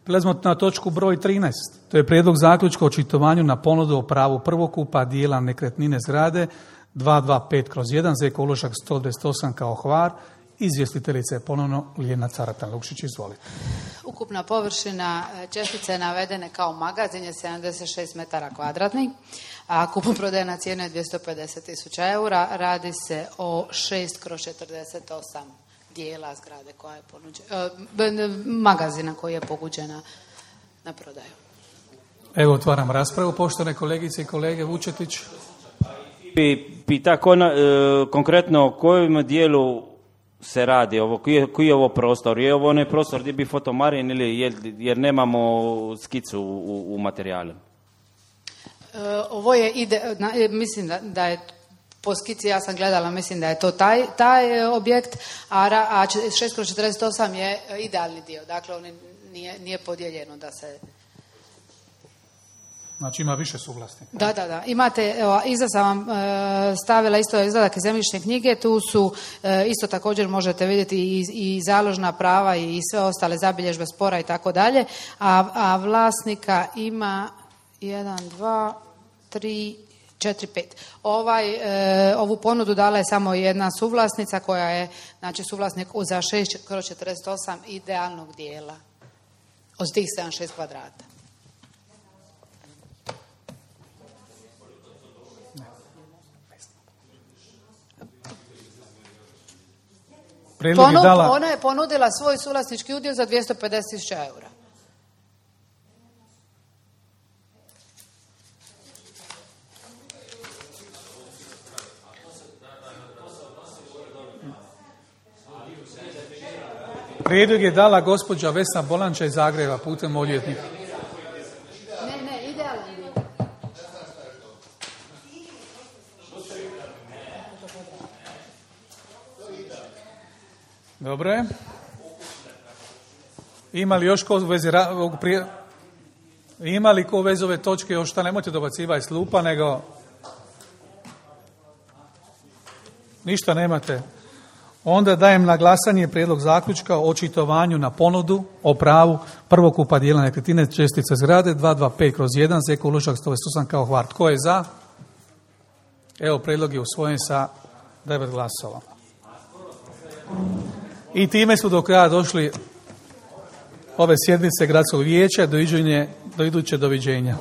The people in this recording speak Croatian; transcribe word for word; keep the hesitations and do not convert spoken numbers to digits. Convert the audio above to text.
Prelazimo na točku broj trinaest. To je prijedlog zaključka o očitovanju na ponudu o pravu prvokupa dijela nekretnine zgrade dvjesto dvadeset pet kroz jedan, Zeko uložak sto dvadeset osam kao Hvar. Izvjestiteljica je ponovno Ljiljana Caratan-Lukšić, izvolite. Ukupna površina čestice navedene kao magazin je sedamdeset šest metara kvadratnih, a kupoprodajna cijena je dvjesto pedeset tisuća eura. Radi se o šest kroz četrdeset osam dijela zgrade koja je ponuđena, magazina koji je ponuđena na prodaju. Evo, otvaram raspravu. Poštovane kolegice i kolege, Vučetić. Pita konkretno o kojem dijelu se radi, ovo, koji, je, koji je ovo prostor? Je ovo onaj prostor gdje bi fotomarin ili je, jer nemamo skicu u, u materijalu? E, ovo je, ide, na, mislim da, da je po skici, ja sam gledala, mislim da je to taj, taj objekt, a, a šest kroz četrdeset osam je idealni dio, dakle on nije, nije podijeljeno da se... Znači ima više suvlasnika. Da, da, da. Imate, evo, iza sam vam e, stavila isto izvadak iz zemljišne knjige, tu su e, isto također možete vidjeti i, i založna prava i sve ostale zabilježbe spora i tako dalje, a, a vlasnika ima jedan, dva, tri, četiri, pet. Ovaj, e, ovu ponudu dala je samo jedna suvlasnica koja je, znači, suvlasnik za šest kroz četrdeset osam idealnog dijela od tih sedamdeset šest kvadrata. Ponud, je dala... Ona je ponudila svoj suvlasnički udio za dvjesto pedeset tisuća eura. Prijedlog je dala gospođa Vesna Bolanča iz Zagreba putem odvjetnika. Ne, ne, idealno. Dobro je. Ima li još ko u vezi ovog prije... Ima li ko u vezi ove točke još šta, nemojte dobacivati s lupa, nego ništa nemate. Onda dajem na glasanje prijedlog zaključka o očitovanju na ponudu o pravu prvokupa dijela nekretnine čestice zgrade dvjesto dvadeset pet kroz jedan, Zeko uložak sto dvadeset osam kao Hvar. Tko je za? Evo, prijedlog je usvojen sa devet glasova. I time su do kraja došli ove sjednice gradskog vijeća. Do iduće doviđenja.